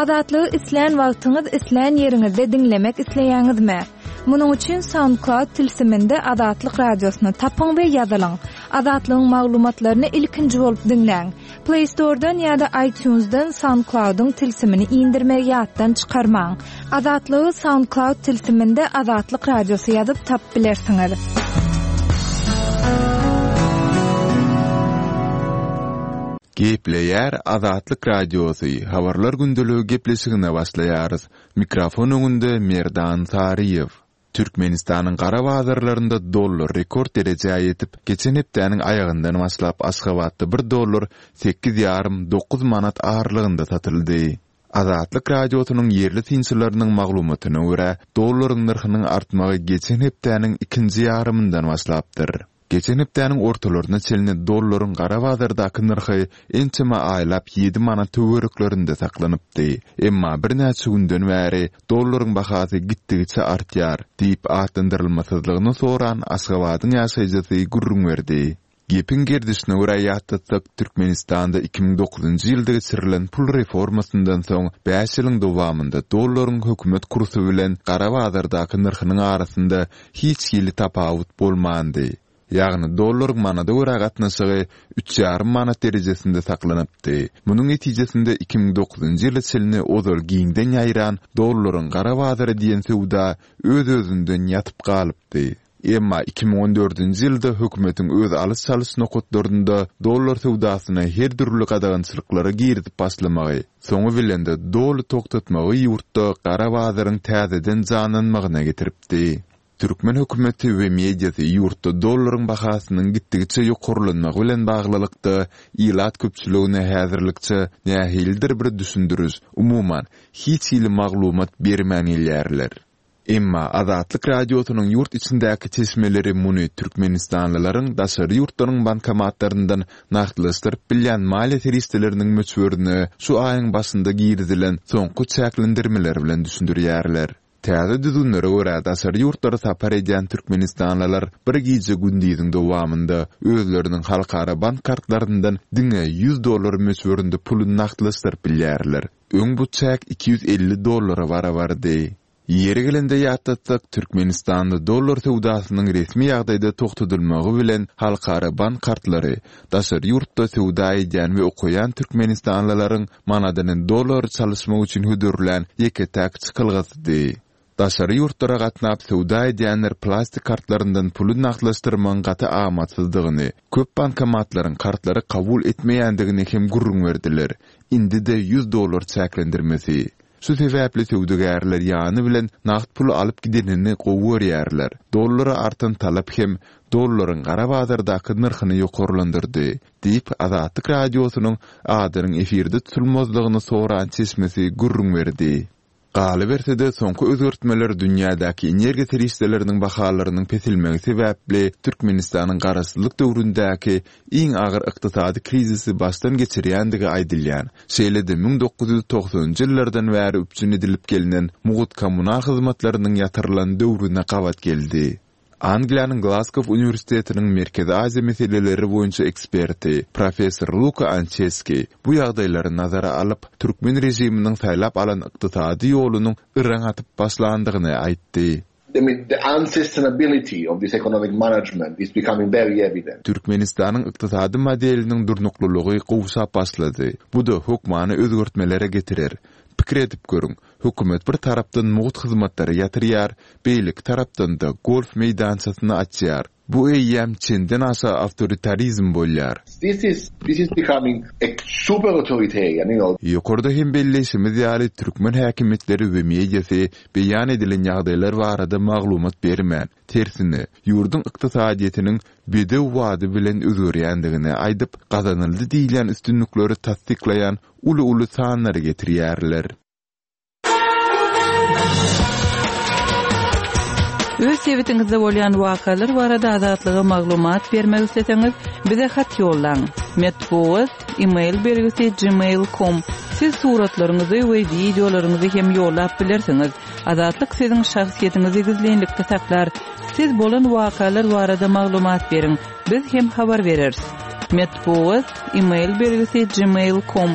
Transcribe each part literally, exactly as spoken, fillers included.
Azatlygy islän wagtyňyz, islän ýeriňizde diňlemek isleýäňizmi? Munuň üçin SoundCloud tilsiminde Azatlyk radiosyny tapyň we ýazylyň. Azatlygyň maglumatlaryny ilkinji bolup diňläň. Play Store'dan ýa-da iTunes'dan SoundCloud'yň tilsimini indirmegi ýatdan çykarmaň. Azatlygy SoundCloud tilsiminde Azatlyk radiosy ýazyp tapyp bilersiňiz. Gepleýär Azatlyk Radiosy, Habarlar gündeligi gepleşigine başlaýarys. Mikrofon öňünde Merdan Saryýew. Türkmenistanyň gara bazarlarynda dollar rekord derejä ýetip, geçen hepdäniň aýagyndan başlap Aşgabatda bir dollar sekiz ýarym dokuz manat aralygynda satyldy. Azatlyk Radiosynyň ýerli synçylarynyň maglumatyna görä, dollaryň nyrhynyň artmagy geçen hepdäniň ikinji ýarymyndan başlapdyr. Geçen hepdäniň ortalaryna çenli dollaryň gara bazardaky nyrhy ençeme aýlap ýedi manat töwereklerinde saklanypdy. Emma birnäçe günden bäri dollaryň bahasy gitdigiçe artýar diýip atlandyrylmasyzlygyny soran Aşgabadyň ýaşaýjysy gürrüň berdi. Gepiň gerdişine görä ýatlatsak, Türkmenistanda iki müň dokuzynjy ýylda geçirilen pul reformasyndan soň bäş ýylyň dowamynda dollaryň hökümet kursy bilen gara bazardaky nyrhynyň arasynda hiç hili tapawut bolmandy. Ýagny dollaryň manada görä gatnaşygy üç ýarym manat derejesinde saklanypdy. Munuň netijesinde iki müň dokuzynjy ýyla çenli ozal giňden ýaýran dollaryň gara bazary diýen söwda öz-özünden ýatyp galypdy. Emma iki müň on dördünji ýylda hökümetiň öz alyş-çalyş nokatlarynda dollar söwdasyna her dürli gadagançylyklary girizip başlamagy, soňy bilen-de doly togtatmagy ýurtda gara bazaryň täzeden janlanmagyna getiripdi. Türkmen hökümeti we mediasy ýurtda dollaryň bahasynyň gitdigiçe ýokarlanmagy bilen baglylykda ilat köpçüligine häzirlikçe nähilidir bir düşündiriş, umuman, hiç hili maglumat bermän gelýärler. Emma Azatlyk Radiosynyň ýurt içindäki çeşmeleri muny türkmenistanlylaryň daşary ýurtlaryň bankomatlaryndan nagtlaşdyryp bilýän maliýe serişdeleriniň möçberine şu aýyň başynda girizilen soňky çäklendirmeler bilen düşündirýärler. Täze düzgünlere görä daşary ýurtlara sapar edýän türkmenistanlylar bir gije gündiziň dowamynda özleriniň halkara bank kartlaryndan diňe ýüz dollar möçberinde puly nagtlaşdyryp bilýärler. Öň bu çäk iki ýüz elli dollara barabardy. Ýeri gelende ýatlatsak, Türkmenistanda dollar söwdasynyň resmi ýagdaýda togtadylmagy bilen halkara bank kartlary daşary ýurtda söwda edýän we okaýan türkmenistanlylaryň manadyny dollara çalyşmak üçin hödürlän ýeke-täk çykalgasydy. Daşary ýurtlara gatnap söwda edýänler plastik kartlaryndan puly nagtlaşdyrmagyň gaty amatsyzdygyny, köp bankomatlaryň kartlary kabul etmeýändigini hem gürrüň berdiler. Indi-de ýüz dollar çäklendirmesi. Şu sebäpli söwdagärler ýany bilen nagt puly alyp gidenini gowy görýärler. Dollara artan talap hem dollaryň gara bazardaky nyrhyny ýokarlandyrdy, diýip Azatlyk Radiosynyň adynyň efirde tutulmazlygyny soran çeşmesi gürrüň berdi. Galyberse-de soňky özgertmeler dünýädäki energiýa serişdeleriniň bahalarynyň peselmegi sebäpli Türkmenistanyň garaşsyzlyk döwründäki iň agyr ykdysady krizisi başdan geçirýändigi aýdylýan, şeýle-de müň dokuz ýüz togsanynjy ýyllardan bäri üpjün edilip gelnen mugt kommunal hyzmatlarynyň ýatyrylan döwrüne gabat geldi. Angliýanyň Glasgow uniwersitetiniň Merkezi Aziýa meseleleri boýunça eksperti professor Luka Ançeski bu ýagdaýlary nazara alyp, türkmen režiminiň saýlap alan ykdysady ýolunyň yraň atyp başlandygyny aýtdy. I mean, the unsustainability of this economic management is becoming very evident. Türkmenistanyň ykdysady modeliniň durnuklylygy gowşap başlady. Bu-da hökmany özgertmelere getirer. Pikir edip görüň, hökümet bir tarapdan mugt hyzmatlary ýatyrýar, beýleki tarapdan-da golf meýdançasyny açýar. Bu eýýäm çenden aşa awtoritarizm bolýar. This is, this is becoming a super authoritarian, you know. Ýokarda hem belleýşimiz ýaly, türkmen häkimiýetleri we mediasy beýan edilen ýagdaýlar barada maglumat bermän, tersine, ýurduň ykdysadyýetiniň bedew wady bilen özgerýändigini aýdyp, gazanyldy diýilýän üstünlikleri tassyklaýan uly-uly sanlary getirýärler. Öz sebitiňizde bolýan wakalar barada Azatlyga maglumat bermek isleseňiz, bize hat ýollaň. Metbugat, e-mail belgisi gmail nokta com. Siz suratlaryňyzy we wideolaryňyzy hem ýollap bilersiňiz. Azatlyk siziň şahsyýetiňizi gizlinlikde saklar. Siz bolan wakalar barada maglumat beriň. Biz hem habar bereris. Metbugat, e-mail belgisi gmail.com.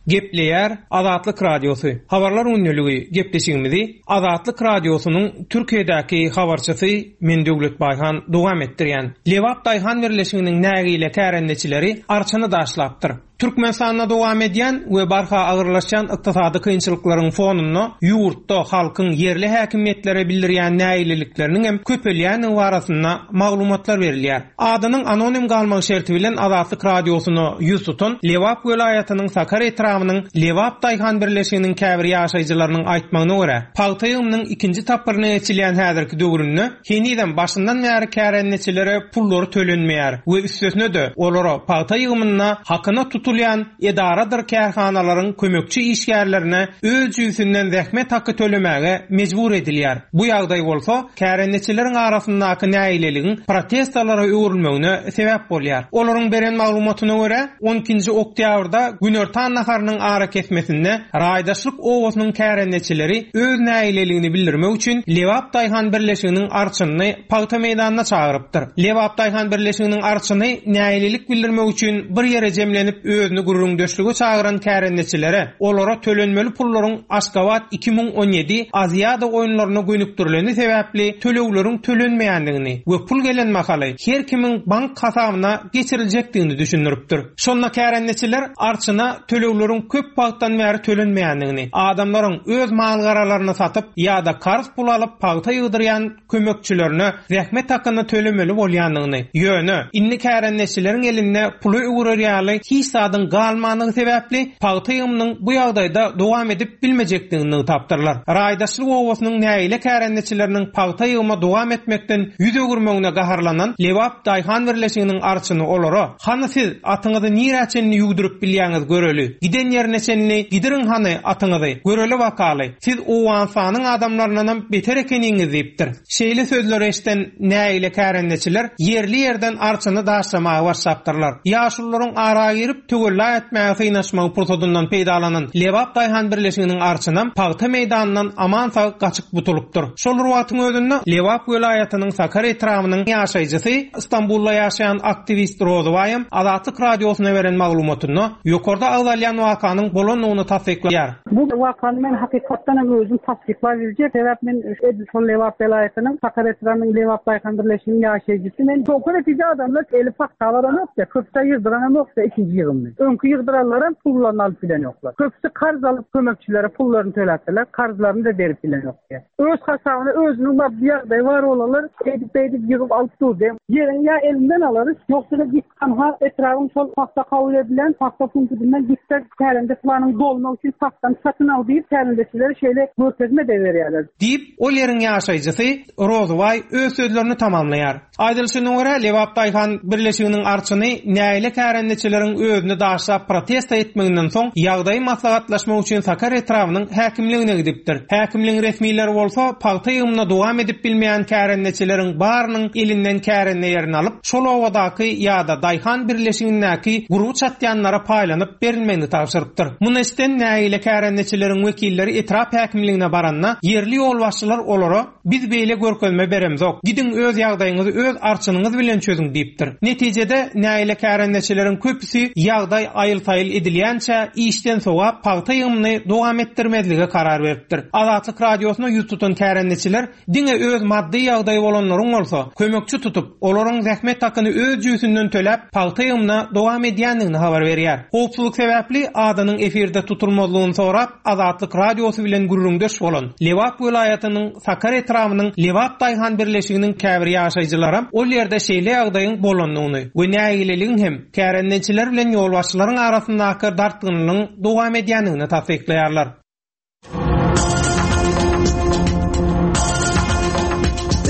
Gepleýär Azatlyk Radiosy. Habarlar gündeligi gepleşigimizi Azatlyk Radiosynyň Türkiýedäki habarçysy Men Döwlet Baýhan dowam etdirýän. Lebap Daýhan birleşiginiň nägile kärendeçileri arçany daşlapdyr. Türkmenistanda dowam edýän we barha agyrlaşýan ykdysady kynçylyklaryň fonunda ýurtda halkyň ýerli häkimiýetlere bildirýän nägilelikleriniň hem köpelýändigi barasynda maglumatlar berilýär. Adynyň anonim galmagy şerti bilen Azatlyk Radiosyna ýüz tutan Lebap welaýatynyň Sakar etrabynyň Lebap Daýhan birleşiginiň käbir ýaşaýjylarynyň aýtmagyna görä, pagta ýygymynyň ikinji tapgyryna geçilýän häzirki döwründe henizem başyndan bäri kärendeçilere pullary tölenmeýär we üstesine-de olara pagta ýygymynda hakyna tutulýan edaradyr kärhanalaryň kömekçi işgärlerine öz jübüsinden zähmet haky tölemäge mejbur edilýär. Bu ýagdaý bolsa kärendeçileriň arasyndaky nägileligiň protestlara öwrülmegine sebäp bolýar. Olaryň beren maglumatyna görä, on ikinji oktýabrda günortan naharynyň ara kesmesinde raýdaşlyk obasynyň kärendeçileri öz nägileligini bildirmek üçin Lebap Daýhan birleşiginiň arçynyny pagta meýdanyna çagyrypdyr. Lebap Daýhan birleşiginiň arçyny nägilelik bildirmek üçin bir ýere jemlenip özüni gürrüňdeşlige çagyran kärendeçilere olara tölenmeli pullaryň Aşgabat iki müň on ýedi Aziýada oýunlaryna gönükdirileni sebäpli tölegleriň tölenmeýändigini we pul gelen mahaly her kimiň bank hasabyna geçiriljekdigini düşündiripdir. Şonda kärendeçiler arçyna tölegleriň köp wagtdan bäri tölenmeýändigini, adamlaryň öz mal-garalaryny satyp ýa-da karz pul alyp pagta ýygdyrýan kömekçilerine zähmet hakyny tölemeli bolýandygyny, ýöne indi kärendeçileriň elinde puly öwrer ýaly hiç zadyň galmandygy sebäpli pagta ýygymynyň bu ýagdaýda dowam edip bilmejekdigini nygtapdyrlar. Raýdaşlyk obasynyň nägile kärendeçileriniň pagta ýygyma dowam etmekden ýüz öwürmegine gaharlanan Lebap Daýhan birleşiginiň arçyny olara: "Hany siz atyňyzy nirä çenli ýugduryp bilýäňiz göreli. Giden ýerine çenli gidiriň hany atyňyzy. Göreli bakaly. Siz Owganystanyň adamlaryndan beter ekeniňiz" diýipdir. Şeýle sözleri eşden nägile kärendeçiler ýerli ýerden arçyny daşlamaga başlapdyrlar. Ýaşulularyň ara girip töwella etmäge synaşmagy pursadyndan peýdalanan Lebap Daýhan birleşiginiň arçynam pagta meýdanyndan aman sag gaçyp butulypdyr. Şol bir wagtyň özünde Lebap welaýatynyň Sakar etrabynyň ýaşaýjysy Istanbulda ýaşaýan aktiwist Rozybaýam Azatlyk Radiosyna beren maglumatynda ýokarda agzalýan wakanyň bolandygyny tassyklaýar. Bu wakany men hakykatdan hem özüm tassyklap biljek. Sebäp men edil şol Lebap welaýatynyň Sakar etrabynyň Lebap Daýhan birleşiginiň ýaşaýjysy. Men soňky netije adamlar eli pagta baran ýokdy, köpse ýygdyran hem ýokdy ikinji ýygymny. Öňki ýygdyranlaram pullaryny alyp bilen ýoklar. Köpse karz alyp kömekçilere pullaryny töläpdiler, karzlaryny da berip bilen ýokdy. Öz hasabyna özüniň bir ýagdaýy bar olanlar edip edip ýygyp alyp durdy. Ýeriň ýa elinden alarys, ýogsa da git hanha etrabın şol pagta kabul edilen pagta punktundan gitse kärende planyň dolmak üçin pagtany satyn al diýip kärendeçilere şeýle görkezme de berýärler. Diýip, ol ýeriň ýaşaýjysy Rozybaý öz sözlerini tamamlaýar. Aýdylyşyna görä, Lebap Daýhan birleşiginiň arçyny nägile kärendeçileriň özüni daşlap protesta etmeginden soň ýagdaýy maslahatlaşmak üçin Sakar etrabynyň häkimligine gidipdir. Häkimligiň resmileri bolsa pagta ýygymyna dowam edip bilmeýän kärendeçileriň barynyň elinden kärende ýerini alyp, şol obadaky ýa-da Daýhan birleşigindäki gurby çatýanlara paýlanyp berilmegini tabşyrypdyr. Muny eşiden nägile kärendeçileriň wekilleri etrap häkimligine baranda ýerli ýolbaşçylar olara biz beýle görkezme beremzok. Gidiň öz ýagdaýyňyzy öz arçynyňyz bilen çözüň diýipdir. Netijede nägile kärendeçileriň köpüsi ýagdaý aýyl-saýyl edilýänçä işden sogap pagta ýygymyny dowam etdirmezlige karar beripdir. Azatlyk Radiosyna ýüz tutan kärendeçiler diňe öz maddy ýagdaýy bolanlaryň bolsa kömekçi tutup, olaryň zähmet hakyny öz jübüsinden töläp pagta ýygymyna dowam edýändigini habar berýär. Howpsuzlyk sebäpli adynyň efirde tutulmazlygyny sorap Azatlyk Radiosy bilen gürrüňdeş bolan Lebap welaýatynyň Sakar etrabynyň Lebap Daýhan birleşiginiň käbir ýaşaýjylaram ol ýerde şeýle ýagdaýyň bolandygyny we nägileligiň hem kärendeçiler bilen ýolbaşçylaryň arasyndaky dartgynlygyň dowam edýändigini tassyklaýarlar.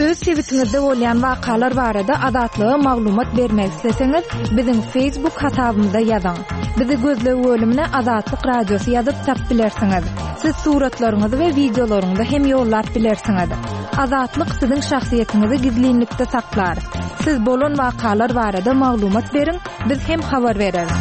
Öz sebitiňizde bolýan wakalar barada Azatlyga maglumat bermek isleseňiz, biziň Facebook hasabymyza ýazyň. Bizi gözleg bölümine Azatlyk Radiosy ýazyp tap bilersiňiz. Siz suratlaryňyzy we wideolaryňyzy hem ýollap bilersiňiz. Azatlyk siziň şahsyýetiňizi gizlinlikde saklar. Siz bolan wakalar barada maglumat beriň, biz hem habar bereris.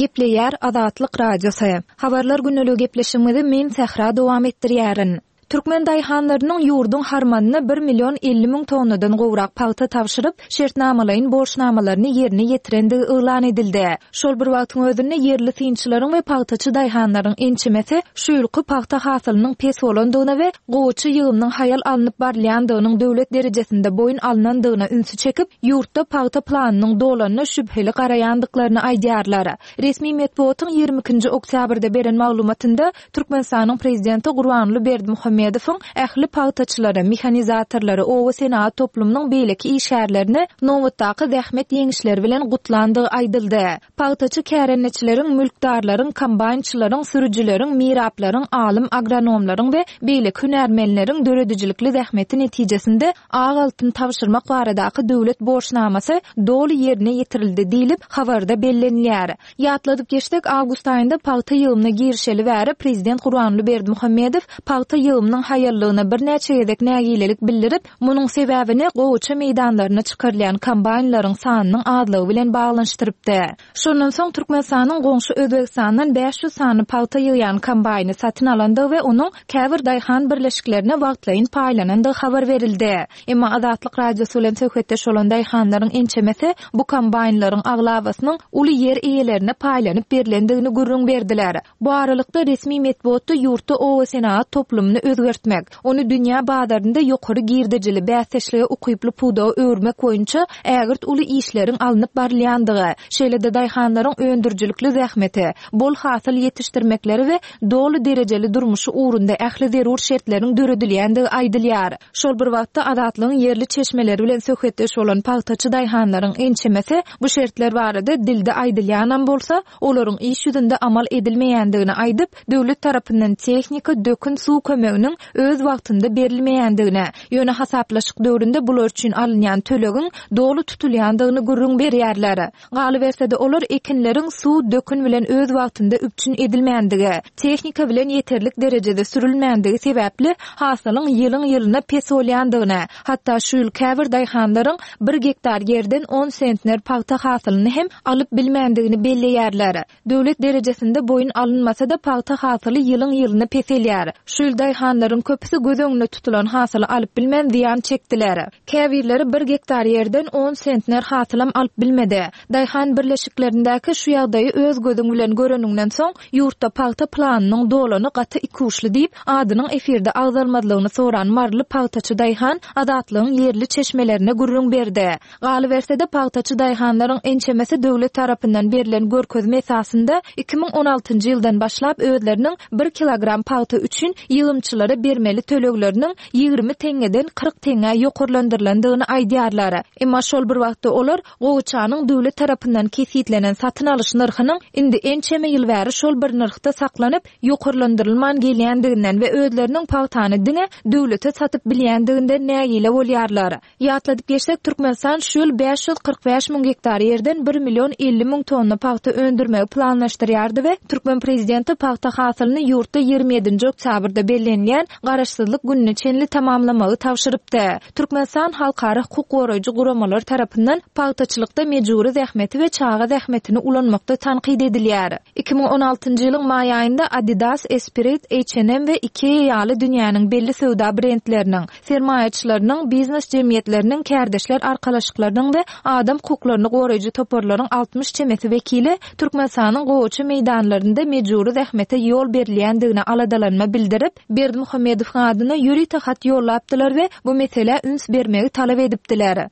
Gepleýär Azatlyk Radiosy. Habarlar günlügi gepleşigimizi men Sähra dowam etdirýärin. Türkmen daýhanlarynyň ýurduň harmanyna bir million elli müň tonnadan gowrak pagta tabşyryp, şertnamalaýyn borçnamalaryny ýerine ýetirendigi yglan edildi. Şol bir wagtyň özünde ýerli synçylaryň we pagtaçy daýhanlaryň ençemesi şu ýylky pagta hasylynyň pes bolandygyna we gowaça ýygymynyň haýal alnyp barylýandygynyň döwlet derejesinde boýun alnandygyna ünsi çekip, ýurtda pagta planynyň dolanyna şübheli garaýandyklaryny aýdýarlar. Resmi metbugatyň ýigrimi ikinji oktýabrda beren maglumatynda Türkmenistanyň prezidenti Gurbanguly Berdimuhamedowyň ähli pagtaçylary, mehanizatorlary, oba senagat toplumynyň beýleki işgärlerini nobatdaky zähmet ýeňişleri bilen gutlandygy aýdyldy. Pagtaçy kärendeçileriň, mülkdarlaryň, kombaýnçylaryň, sürüjileriň, miraplaryň, alym agronomlaryň we beýleki hünärmenleriň döredijilikli zähmeti netijesinde ak altyn tabşyrmak baradaky döwlet borçnamasy doly ýerine ýetirildi diýlip, habarda bellenilýär. Ýatladyp geçsek, awgust aýynda pagta ýygymyna girişeli bäri prezident Gurbanguly Berdimuhamedow pagta ýygymynyň haýallygyna birnäçe gezek nägilelik bildirip, munuň sebäbini gowaça meýdanlaryna çykarylýan kombaýnlaryň sanynyň azlygy bilen baglanyşdyrypdy. Şondan soň Türkmenistanyň goňşy Özbegistandan bäş ýüz sany pagta ýygýan kombaýny satyn alandygy we onuň käbir daýhan birleşiklerine wagtlaýyn paýlanandygy habar berildi. Emma Azatlyk Radiosy bilen söhbetdeş bolan daýhanlaryň ençemesi bu kombaýnlaryň aglabasynyň uly ýer eýelerine paýlanyp berilendigini gürrüň berdiler. Bu aralykda resmi metbugatda ýurtda oba senagat toplumyny özgertmek, ony dünýä bazarynda ýokary girdejili bäsdeşlige ukyply pudaga öwürmek boýunça ägirt uly işleriň alnyp barylýandygy, şeýle-de daýhanlaryň öndürijilikli zähmeti, bol hasyl ýetişdirmekleri we doly derejeli durmuşy ugrunda ähli zerur şertleriň döredilýändigi aýdylýar. Şol bir wagtda Azatlygyň ýerli çeşmeleri bilen söhbetdeş bolan pagtaçy daýhanlaryň ençemesi bu şertler barada dilde aýdylýanam bolsa, olaryň iş ýüzünde amal edilmeýändigini aýdyp, döwlet tarapyndan tehnika, dökün, suw kömeginiň öz wagtynda berilmeýändigini, ýöne hasaplaşyk döwründe bular üçin alynýan tölegiň doly tutulýandygyny gürrüň berýärler. Galyberse-de olar ekinleriň suw, dökün bilen öz wagtynda üpjün edilmändigi, tehnika bilen ýeterlik derejede sürülmändigi sebäpli hasylyň ýylyň-ýylyna pes bolýandygyny, hatda şu ýyl käbir daýhanlaryň bir gektar ýerden on sentner pagta hasylyny hem alyp bilmändigini belleýärler. Döwlet derejesinde boýun alynmasa-da pagta hasyly ýylyň-ýylyna peselýär. Şu ýyl daýhanlaryň köpüsi göz öňünde tutulan hasyly alyp bilmän zyýan çekdiler. Käbirleri bir gektar ýerden on sentner hasylam alyp bilmedi. Daýhan birleşiklerindäki şu ýagdaýy öz gözüň bilen göreniňden soň ýurtda pagta planynyň dolany gaty ikuşly diýip, adynyň efirde agzalmazlygyny soran maryly pagtaçy daýhan Azatlygyň ýerli çeşmelerine gürrüň berdi. Galyberse-de pagtaçy daýhanlaryň ençemesi döwlet tarapyndan berlen görkezme esasynda iki müň on altynjy ýyldan başlap özleriniň bir kilogram pagta üçin ýygymçylara bermeli tölegleriniň ýigrimi teňňeden kyrk teňňä ýokarlandyrylandygyny aýdýarlar. Emma şol bir wagtda olar gowaçanyň döwlet tarapyndan kesgitlenen satyn alyş nyrhynyň indi ençeme ýyl bäri şol bir nyrhda saklanyp, ýokarlandyrylman gelýändiginden we özleriniň pagtany diňe döwlete satyp bilýändiginden nägile bolýarlar. Ýatladyp geçsek, Türkmenistan şu ýyl bäş ýüz kyrk bäş müň gektar ýerden bir million elli müň tonna pagta öndürmegi planlaşdyrýardy we türkmen prezidenti pagta hasylyny ýurtda ýigrimi ýedinji oktýabrda bellenilýän Garaşsyzlyk gününe çenli tamamlamagy tabşyrypdy. Türkmenistan halkara hukuk goraýjy guramalar tarapyndan pagtaçylykda mejbury zähmeti we çaga zähmetini ulanmakda tankyt edilýär. Iki müň on altynjy ýylyň maý aýynda Adidas, Esprit, H and M we Ikea ýaly dünýäniň belli söwda brendleriniň, sermaýaçylarynyň, biznes jemgyýetleriniň, kärdeşler arkalaşyklarynyň we adam hukuklaryny goraýjy toparlaryň altmyş çemesi wekili Türkmenistanyň gowaça meýdanlarynda mejbury zähmete ýol berilýändigine aladalanma bildirip, Berdimuhamedowyň adyna ýörite hat ýollapdylar we bu meselä üns bermegi talap edipdiler.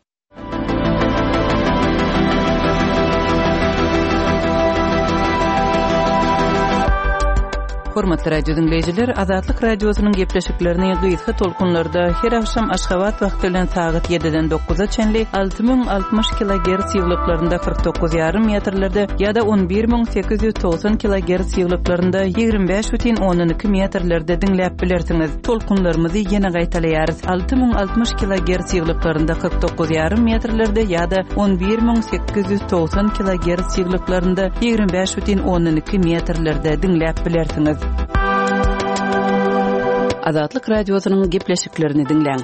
Hormatly radio dinleýjiler, Azatlyk radiosynyň gepleşiklerini gysga tolkunlarda her akşam Aşgabat wagty bilen sagat ýediden dokuza çenli alty müň altmyş kilogerts ýyglyklarynda kyrk dokuz ýarym metrlerde ýa-da on bir müň sekiz ýüz togsan kilogerts ýyglyklarynda ýigrimi bäş bütin ondan iki metrlerde diňläp bilersiňiz. Tolkunlarymyzy ýene gaýtalaýarys. Alty müň altmyş kilogerts ýyglyklarynda kyrk dokuz ýarym metrlerde ýa-da on bir müň sekiz ýüz togsan kilogerts ýyglyklarynda ýigrimi bäş bütin ondan iki metrlerde diňläp bilersiňiz. Azatlyk radiosynyň gepleşiklerini diňläň.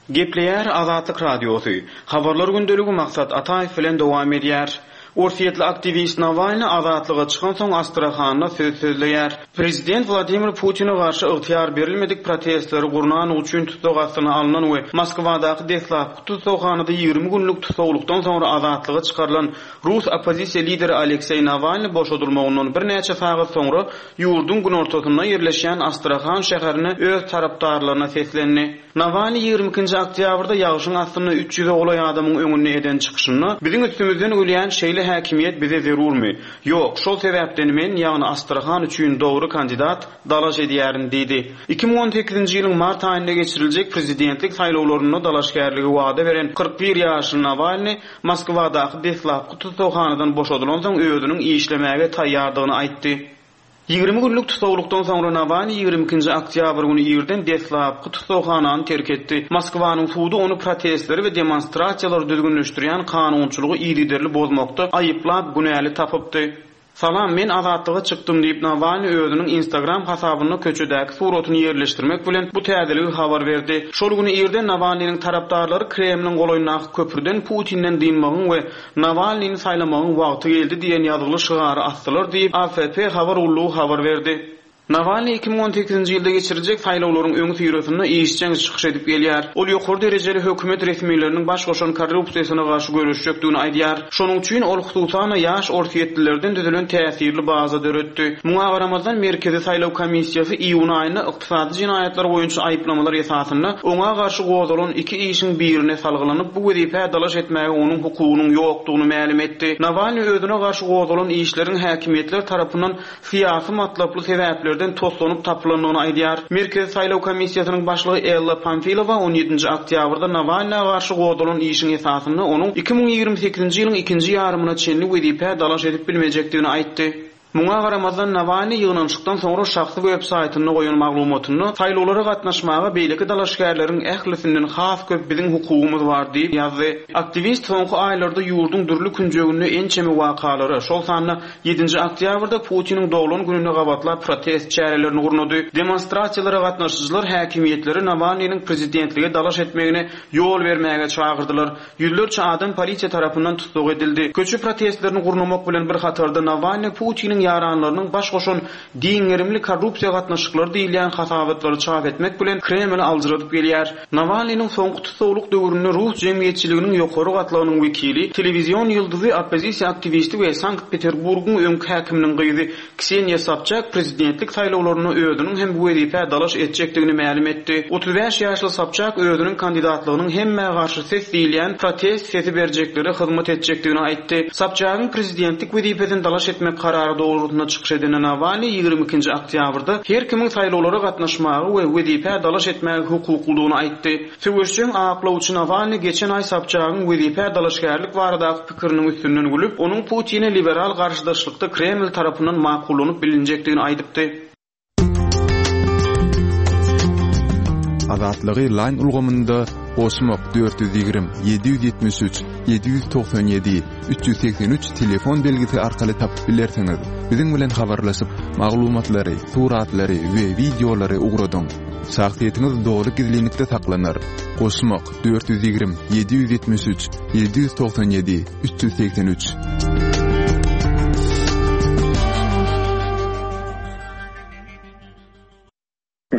Gepleýär Azatlyk radiosy. Habarlar gündeligi Maksat Ataýew bilen dowam edýär. Orsýetli aktiwist Nawalny azatlyga çykansoň Astrahanda söz sözleýär. Prezident Wladimir Putine garşy ygtyýar berilmedik protestleri gurnanlygy üçin tussag astyna alnan we Moskwadaky deslapky tussaghanada ýigrimi günlük tussaglykdan soňra azatlyga çykarylan rus oppozisiýa lideri Alekseý Nawalny boşadylmagyndan birnäçe sagat soňra ýurduň günortasynda ýerleşýän Astrahan şäherine öz tarapdarlaryna seslendi. Nawalny ýigrimi ikinji oktýabrda ýagşyň astynda üç ýüze golaý adamyň öňünde eden çykyşynda biziň üstümizden gülýän şeýle häkimiýet bize zerurmy? Ýok, şol sebäpden men, ýagny Astrahan üçin dogry kandidat dalaş edýärin diýdi. Iki müň on sekizinji ýylyň mart aýynda geçiriljek prezidentlik saýlawlarynda dalaşgärligi wada beren kyrk bir ýaşly Nawalny Moskwadaky deslapky tussaghanadan boşadylansoň özüniň işlemäge taýýardygyny aýtdy. Ýigrimi günlük tussaglykdan soňra Nawalny ýigrimi ikinji oktýabr güni irden deslapky tussaghanany terk etdi. Moskwanyň sudy ony protestleri we demonstrasiýalary düzgünleşdirýän kanunçylygy yzygiderli bozmakda aýyplap günäli tapypdy. Salam, men azatlyga çykdym diýip Nawalny özüniň Instagram hasabynda köçedäki suratyny ýerleşdirmek bilen bu täzeligi habar berdi. Şol güni irden Nawalnynyň tarapdarlary Kremliň golaýyndaky köprüden Putinden dynmagyň we Nawalnyny saýlamagyň wagty geldi diýen ýazgyly şygary asdylar diýip A F P habar gullugy habar berdi. Nawalny iki müň on sekizinji ýylda geçiriljek saýlawlaryň öňi syrasynda işjeň çykyş edip gelýär. Ol ýokary derejeli hökümet resmileriniň baş goşan korrupsiýasyna garşy göreşjekdigini aýdýar. Şonuň üçin ol hususan ýaş orsýetlilerden düzülen täsirli baza döretdi. Muňa garamazdan Merkezi saýlaw komissiýasy iýun aýynda ykdysady jenaýatlar boýunça aýyplamalar esasynda oňa garşy gozalan iki işiň birine salgylanyp bu wezipä dalaş etmäge onuň hukugynyň ýokdugyny mälim etdi. Nawalny özüne garşy gozalan işleriň häkimiýetler tarapyndan syýasy matlaply sebäplerden toslanyp tapylandygyny aýdýar. Merkezi saýlaw komissiýasynyň başlygy Ella Pamfilowa on ýedinji oktýabrda Nawalna garşy gozalan işiň esasynda onuň iki müň ýigrimi sekizinji ýylyň ikinji ýarymyna çenli wezipä dalaş edip bilmejekdigini aýtdy. Muňa garamazdan Nawalny ýygnanyşykdan soňra şahsy web saýtynda goýan maglumatynda saýlawlara gatnaşmaga beýleki dalaşgärleriň ählisinden has köp biziň hukugymyz bar diýip ýazdy. Aktiwist soňky aýlarda ýurduň dürli künjeginde ençeme wakalara, şol sanda ýedinji oktýabrda Putiniň doglan gününe gabatlap protest çärelerini gurnady. Demonstrasiýalara gatnaşyjylar häkimiýetleri Nawalnynyň prezidentlige dalaş etmegine ýol bermäge çagyrdylar. Ýüzlerçe adam polisiýa tarapyndan tussag edildi. Köçe protestlerini gurnamak bilen bir hatarda Nawalny Putiniň ýaranlarynyň baş goşan giňgerimli korrupsiýa gatnaşyklary diýilýän hasabatlary çap etmek bilen Kremli aljyradyp gelýär. Nawalnynyň soňky tussaglyk döwründe rus jemgyýetçiliginiň ýokary gatlagynyň wekili, telewizion ýyldyzy, oppozisiýa aktiwisti we Sankt-Peterburgyň öňki häkiminiň gyzy Kseniýa Sobçak prezidentlik saýlawlarynda özüniň hem bu wezipä dalaş etjekdigini mälim etdi. Otuz bäş ýaşly Sobçak özüniň kandidatlygynyň hemmä garşy ses diýilýän protest sesi berjeklere hyzmat etjekdigini aýtdy. Sobçagyň prezidentlik wezipesini dalaş etmek karary dogrusynda çykyş eden Nawalny ýigrimi ikinji oktýabrda her kimiň saýlawlara gatnaşmagy we wezipä dalaş etmäge hukuklydygyny aýtdy. Söweşjeň aklawçy Nawalny geçen aý Sobçagyň wezipä dalaşgärlik baradaky pikiriniň üstünden gülüp, onuň Putine liberal garşydaşlykda Kreml tarapyndan makullanyp bilinjekdigini aýdypdy. Azatlygy line ulgamynda goşmak dört ýüz ýigrimi, ýedi ýüz ýetmiş üç, ýedi ýüz togsan ýedi, üç ýüz segsen üç telefon belgisi arkaly tapyp bilersiňiz. Biziň bilen habarlaşyp, maglumatlary, suratlary we wideolary ugradyň. Şahsyýetiňiz dogry gizlinlikde saklanar. Goşmak dört ýüz ýigrimi, ýedi ýüz ýetmiş üç, ýedi ýüz togsan ýedi, üç ýüz segsen üç.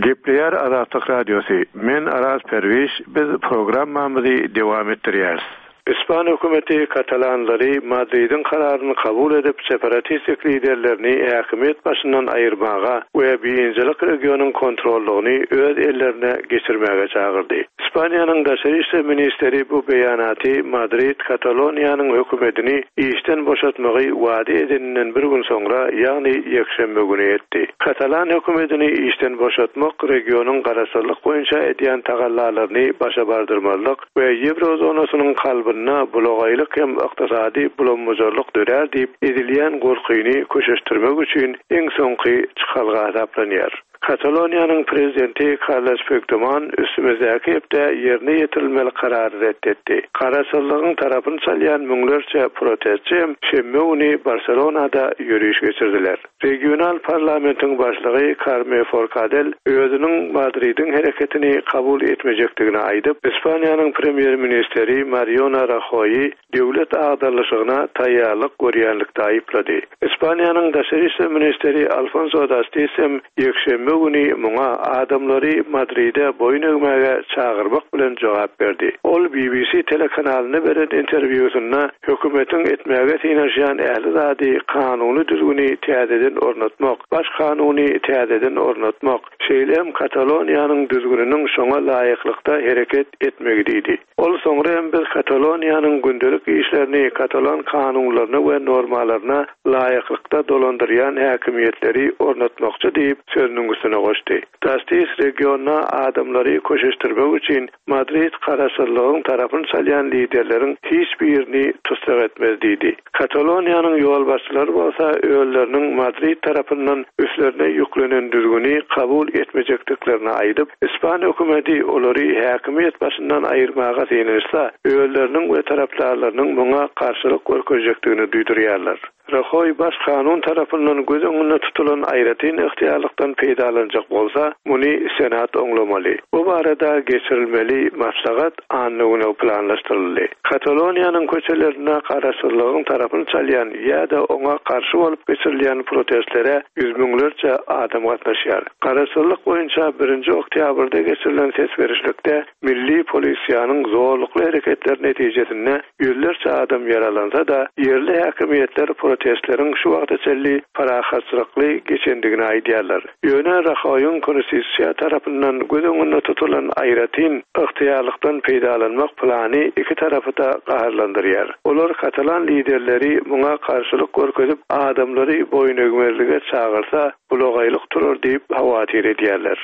Gepleýär Azatlyk Radiosy. Men Araz Perwiş, biz programmamyzy dowam etdirýäris. Ispan hökümeti katalanlary Madridiň kararyny kabul edip separatistik liderlerini häkimiýet başyndan aýyrmaga we birinjilik regionyň kontrollygyny öz ellerine geçirmäge çagyrdy. Ispaniýanyň daşary işler ministeri bu beýanaty Madrid Kataloniýanyň hökümetini işden boşatmagy wada edeninden bir gün soňra, ýagny ýekşenbe güni etdi. Katalan hökümetini işden boşatmak regionyň garaşsyzlyk boýunça edýän tagallalaryny başa bardyrmazlyk we Ýewrozonasynyň kalbyna bulagaýlyk hem ykdysady bulanmazlyk dörär diýip edilýän gorkyny köşeşdirmek üçin iň soňky çykalga hasaplanýar. Kataloniýanyň prezidenti Carles Puigdemont üstümizdäki hepde ýerine ýetirilmeli karary ret etdi. Garaşsyzlygyň tarapyny çalýan müňlerçe protestçi hem şenbe güni Barselonada ýöriş geçirdiler. Regional parlamentiň başlygy Carme Forcadell özüniň Madridiň hereketini kabul etmejekdigini aýdyp, Ispaniýanyň premýer-ministri Mariano Rajoýy döwlet agdarlyşygyna taýýarlyk görýänlikde aýyplady. Ispaniýanyň daşary işler ministri Alfonso Dastis hem ýekşenbe güni muňa adamlary Madride boýun egmäge çagyrmak bilen jogap berdi. Ol B B C telekanalyna beren interwýusynda hökümetiň etmäge synanyşýan ähli zady kanuny düzgüni täzeden ornatmak, baş kanuny täzeden ornatmak, şeýle hem Kataloniýanyň düzgüniniň şoňa laýyklykda hereket etmegi diýdi. Ol soňra hem biz Kataloniýanyň gündelik işlerini katalan kanunlaryna we normalaryna laýyklykda dolandyrýan häkimiýetleri ornatmakçy diýip sözüniň üstüne goşdy. Dastis regionda adamlary köşeşdirmek üçin Madrid garaşsyzlygyň tarapyny çalýan liderleriň hiç birini tussag etmez diýdi. Kataloniýanyň ýolbaşçylary bolsa özleriniň Madrid tarapyndan üstlerine ýüklenen düzgüni kabul etmejekdiklerini aýdyp, Ispan hökümeti olary häkimiýet başyndan aýyrmaga synanyşsa, özleriniň we tarapdarlarynyň muňa garşylyk görkezjekdigini duýdurýarlar. Rajoý baş kanun tarapyndan göz öňünde tutulan aýratyn ygtyýarlykdan peýdalanjak bolsa, muny Senat oňlamaly. Bu barada geçirilmeli maslahat anna güne planlaşdyryldy. Kataloniýanyň köçelerinde garaşsyzlygyň tarapyny çalýan ýa-da oňa garşy bolup geçirilýän protestlere ýüz müňlerçe adam gatnaşýar. Garaşsyzlyk boýunça birinji oktýabrda geçirilen ses berişlikde milli polisiýanyň zorlukly hereketleri netijesinde ýüzlerçe adam ýaralansa-da, ýerli häkimiýetler protestleriň şu wagta çenli parahatçylykly geçendigini aýdýarlar. Ýöne Rajoýyň konstitusiýa tarapyndan göz öňünde tutulan aýratyn ygtyýarlykdan peýdalanmak plany iki tarapy-da gaharlandyrýar. Olar katalan liderleri muňa garşylyk görkezip, adamlary boýun egmezlige çagyrsa, bulagaýlyk turar diýip hawatyr edýärler.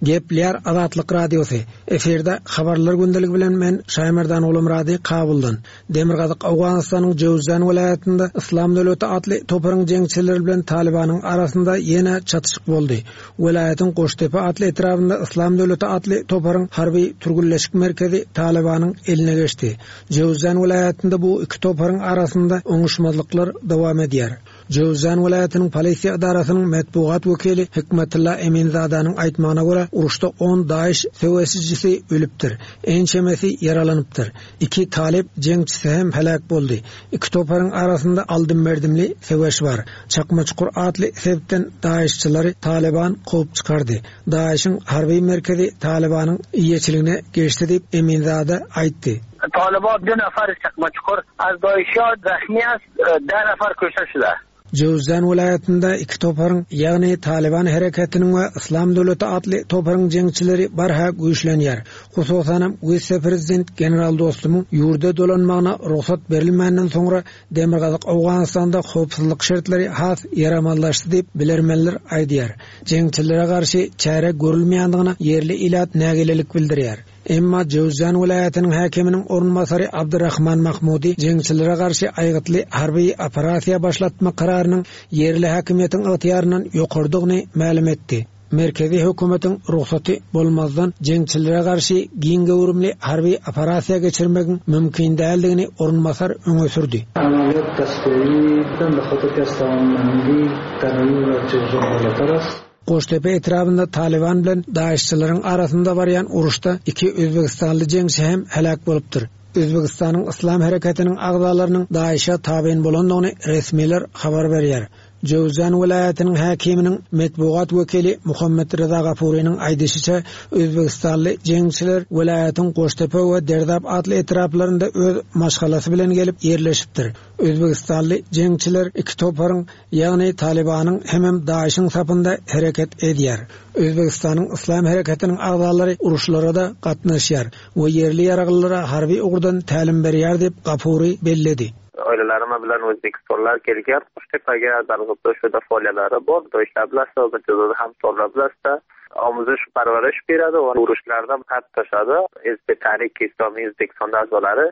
Gepleýär Azatlyk Radiosy. Efirde habarlar gündeligi bilen men Şaýmerdan Gulumrady Kabuldan. Demirgazyk Owganystanyň Jöwzjan welaýatynda Yslam döwleti atly toparyň jeňçileri bilen Talibanyň arasynda ýene çatyşyk boldy. Welaýatyň Goştepe atly etrabynda Yslam döwleti atly toparyň harby türgünleşik merkezi Talibanyň eline geçdi. Jöwzjan welaýatynda bu iki toparyň arasynda oňuşmazlyklar dowam edýär. Jöwzjan welaýatynyň polisiýa edarasynyň metbugat wekili Hikmetulla Eminzadanyň aýtmagyna görä, uruşda on DAEŞ söweşijisi ölüpdir, ençemesi ýaralanypdyr. Iki talyp jeňçisi hem heläk boldy. Iki toparyň arasynda aldym-berdimli söweş bar. Çakmaçukur atly sebitden DAEŞçilary Taliban kowup çykardy. DAEŞiň harby merkezi Talibanyň eýeçiligine geçdi diýip Eminzada aýtdy. Taliban dört nafar Çakmaçukur az DAEŞ zahmi az, dört nafar kuşta şular. Jöwzjan welaýatynda iki toparyň, ýagny Taliban hereketiniň we Yslam döwleti atly toparyň jeňçileri barha güýçlenýär. Hususanam wise-prezident General Dostumyň ýurda dolanmagyna rugsat berilmänden soňra Demirgazyk Owganystanda howpsuzlyk şertleri has ýaramazlaşdy diýip bilermenler aýdýar. Jeňçilere garşy çäre görülmeýändigine ýerli ilat nägilelik bildirýär. Emma Jöwzjan welaýatynyň häkiminiň orunbasary Abdurrahman Mahmudi jeňçilere garşy aýgytly harby operasiýa başlatmak kararynyň ýerli häkimiýetiň ygtyýaryndan ýokardygyny mälim etdi. Merkezi hökümetiň rugsaty bolmazdan jeňçilere garşy giň göwrümli harby operasiýa geçirmegiň mümkin däldigini orunbasar öňe sürdi. Amaliyat dasturidan Goştepe etrabynda Taliban bilen DAEŞçileriň arasynda barýan uruşda iki Özbegistanly jeňçi hem heläk bolupdyr. Özbegistanyň Yslam hereketiniň agzalarynyň DAEŞe tabyn bolandygyny resmiler habar berýär. Jöwzjan welaýatynyň häkiminiň metbugat wekili Muhammed Reza Gafurynyň aýdyşyça, Özbegistanly jeňçiler welaýatyň Goştepe we Derdap atly etraplarynda öz maşgalasy bilen gelip ýerleşipdir. Özbegistanly jeňçiler iki toparyň, ýagny Talibanyň hemem DAEŞiň sapynda hereket edýär. Özbegistanyň Yslam hereketiniň agzalary uruşlara da gatnaşýar we ýerli ýaraglylara harby ugurdan tälim berýär diýip Gafury belledi. Oilalarimi bilan o'zbekistonlar kelgan Qo'shtepaga Darg'ibda shuda faoliyatlari bor. Doishlar bilan hamkorlar bilan omuzish parvarish beradi va urushlarda qatnashadi. Hizb Tahrik Islomiy O'zbekiston a'zolari.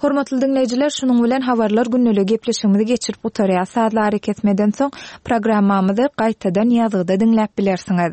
Hormatly diňleýjiler, şunuň bilen habarlar günlügi gepleşigimizi geçirip gutarýar. Sazlary kesmeden soň programmamyzy gaýtadan ýazgyda diňläp bilersiňiz.